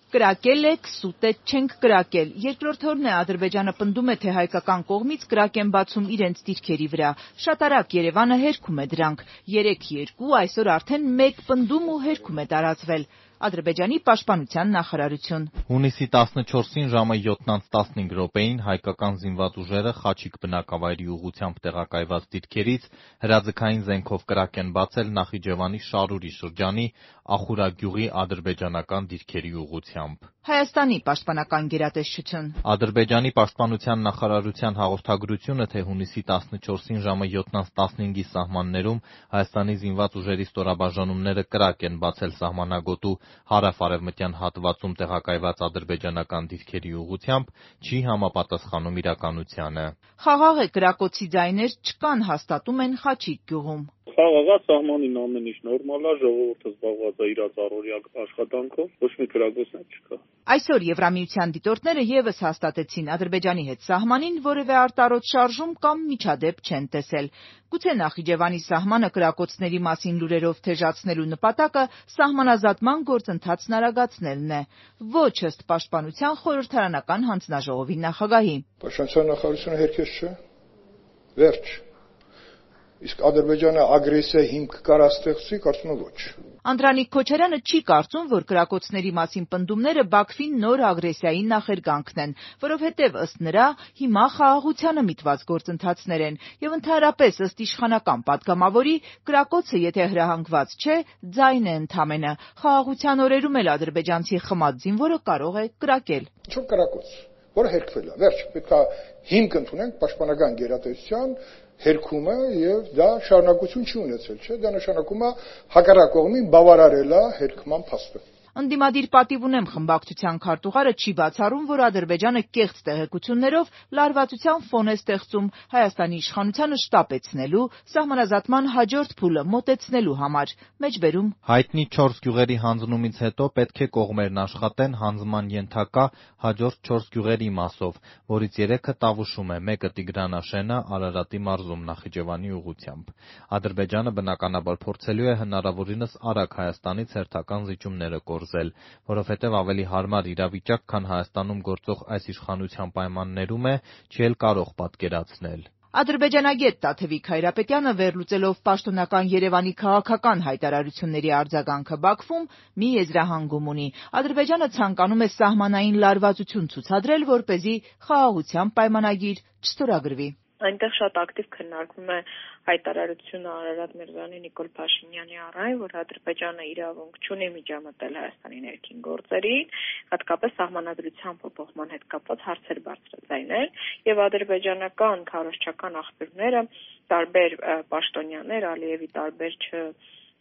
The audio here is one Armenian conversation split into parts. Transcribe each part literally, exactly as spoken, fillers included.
Կրակել եք, սուտետ չենք կրակել։ Երկրորդ օրն է Ադրբեջանը պնդում է, թե հայկական կողմից կրակ են բացում իրենց դիրքերի վրա։ Շատ արագ Երևանը հերքում է դրանք։ Երեկ երկու, այսօր արդեն մեկ պնդում ու հերքում է տարածվել։ Ադրբեջանի պաշտպանության նախարարություն։ Հունիսի տասնչորսին ժամը յոթ տասնհինգ րոպեին հայկական զինված ուժերը Խաչիկ բնակավայրի ուղղությամբ տեղակայված դիրքերից հրաձգային զենքով կրակ են բացել Նախիջևանի Շարուրի շրջանի Ախուրագյուղի ադրբեջանական դիրքերի ուղղությամբ։ Հայաստանի պաշտպանական գերատեսչություն։ Ադրբեջանի պաշտպանության նախարարության հաղորդագրությունը, թե հունիսի տասնչորսին ժամը յոթ տասնհինգի սահմաններում Հայաստանի զինված ուժերի ստորաբաժանումները կրակ են բացել սահմանագոտու հարավ-արևմտյան հատվածում տեղակայված ադրբեջանական դիրքերի ուղղությամբ, չի համապատասխանում իրականությանը։ Խաղաղ է, կրակոցի ձայներ չկան, հաստատում են Խաչիկ գյուղում։ Խաղաղ է, սահմանին ամեն ինչ նորմալ է, ժողովուրդը զբաղված է իր առօրյա աշխատանքով, ոչ մի կրակոցներ չկա։ Այսօր Եվրամիության դիտորդները ևս հաստատեցին Ադրբեջանի հետ սահմանին որևէ արտարոց շարժում կամ միջադեպ չեն տեսել։ Գուցե Նախիջևանի սահմանը կրակոցների մասին լուրերով թեժացնելու նպատակը սահմանազատման գործընթացն արագացնելն է։ Ոչ ըստ պաշտպանության խորհրդարանական հանձնաժողովի նախագահի։ Պաշտպանության նախարարությունը հերքեց չէ։ Վերջ։ Իսկ Ադրբեջանը ագրեսիա հիմք կար ստեղծի, կարծում եմ ոչ։ Անդրանիկ Քոչարյանը չի կարծում, որ կրակոցների մասին պնդումները Բաքվին նոր ագրեսիայի նախերգանքն են, որովհետև ըստ նրա հիմա խաղաղությանը միտված գործընթացներ են, եւ ընդհանրապես ըստ իշխանական падգամավորի կրակոցը եթե հրահանգված չէ, ձայն է ընդամենը։ Խաղաղության օրերում էլ ադրբեջանցի խմած զինվորը կարող է կրակել։ Ինչ կրակոց, որը հերքվել է, վերջ, պետք է հիմք ընդունենք պաշտպանական գերատեսչության հերքումը եւ դա շարունակություն չի ունեցել, չէ՞, դա նշանակում է հակառակ կողմին բավարարել է հերքման փաստը։ Ընդդիմադիր պատիվ ունեմ խմբակցության քարտուղարը չի բացառում, որ Ադրբեջանը կեղծ տեղեկություններով լարվածության ֆոն է ստեղծում Հայաստանի իշխանությանը շտապեցնելու, սահմանազատման հաջորդ փուլը մոտեցնելու համար։ Մեջբերում հայտնի չորս գյուղերի հանձնումից հետո պետք է կողմերն աշխատեն հանձնման ենթակա հաջորդ չորս գյուղերի մասով, որից երեքը Տավուշում է, մեկը Տիգրանաշենը, Արարատի մարզում Նախիջևանի ուղղությամբ։ Ադրբեջանը բնականաբար փորձելու է հնարավորինս արագ Հայաստանից հերթական զիջումները կորզել, որովհետև ավելի հարմար իրավիճակ, քան Հայաստանում գործող այս իշխանության պայմաններում է, չի էլ կարող պատկերացնել։ Ադրբեջանագետ Տաթևիկ Հայրապետյանը վերլուծելով պաշտոնական Երևանի քաղաքական հայտարարությունների արձագանքը Բաքվում մի եզրահանգում ունի։ Ադրբեջանը ցանկանում է սահմանային լարվածություն ցուցադրել, որպեսզի խաղաղության պայմանագիր չստորագրվի։ Այնտեղ շատ ակտիվ քննարկվում է հայտարարությունը Արարատ Միրզոյանի, Նիկոլ Փաշինյանի առայ, որ Ադրբեջանը իրավունք չունի միջամտել Հայաստանի ներքին գործերին, հատկապես սահմանադրության փոփոխման հետ կապված հարցեր բարձրաձայնել, եւ ադրբեջանական քարոզչական աղբյուրները, տարբեր պաշտոնյաներ, Ալիևի տարբեր չ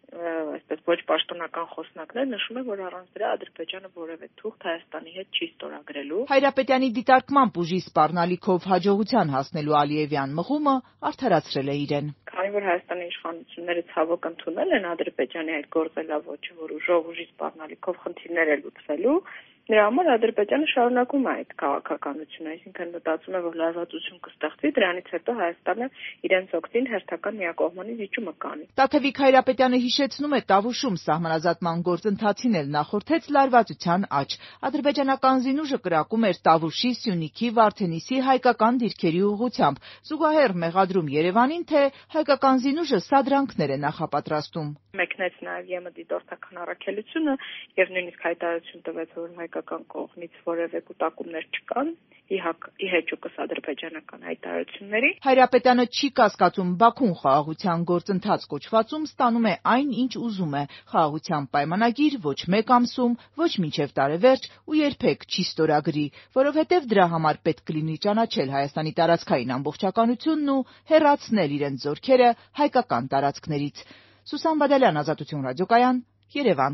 այսպես ոչ պաշտոնական խոսնակներ նշում են, որ առանց դրա Ադրբեջանը որևէ թուղթ Հայաստանի հետ չի ստորագրելու։ Հայրապետյանի դիտարկմամբ ուժի սպառնալիքով հաջողության հասնելու Ալիևյան մղումը արդարացրել է իրեն։ Քանի որ Հայաստանի իշխանությունները ցավոք ընդունել են Ադրբեջանի այդ գործելավոճը, որ ուժով ուժի սպառնալիքով խնդիրներ է լուծվելու, նրա համար Ադրբեջանը շարունակում է այդ քաղաքականությունը, այսինքն մտածում է, որ լարվածություն կստեղծվի, դրանից հետո Հայաստանը իրենց օգտին հերթական միակողմանի զիջումը կանի։ Տաթևիկ Հայրապետյանը հիշեցնում է Տավուշում սահմանազատման գործընթացին էլ նախորդեց լարվածության աճ։ Ադրբեջանական զինուժը կրակում էր Տավուշի, Սյունիքի, Վարդենիսի հայկական դիրքերի ուղղությամբ, զուգահեռ մեղադրում Երևանին, թե հայկական զինուժը սադրանքներ է նախապատրաստում։ Մեկնեց նաև ԵՄ դիտորդական առաքելությունը եւ նույնիսկ հայտարարություն տվեց, որ հայկական կողմից որևէ կուտակումներ չկան, ի հեճուկս ադրբեջանական հայտարարությունների։ Հայրապետյանը չի կասկածում Բաքուն խաղաղության գործընթաց կոչվածում ստանում է այն, ինչ ուզում է, խաղաղության պայմանագիր ոչ մեկ ամսում, ոչ մինչև տարեվերջ ու երբեք չի ստորագրի, որովհետև դրա համար պետք կլինի ճանաչել Հայաստանի տարածքային ամբողջականությունն ու հեռացնել իրենց զորքերը հայկական տարածքներից։ Սուսան Բադալյան, Ազատություն ռադիոկայան, Երևան։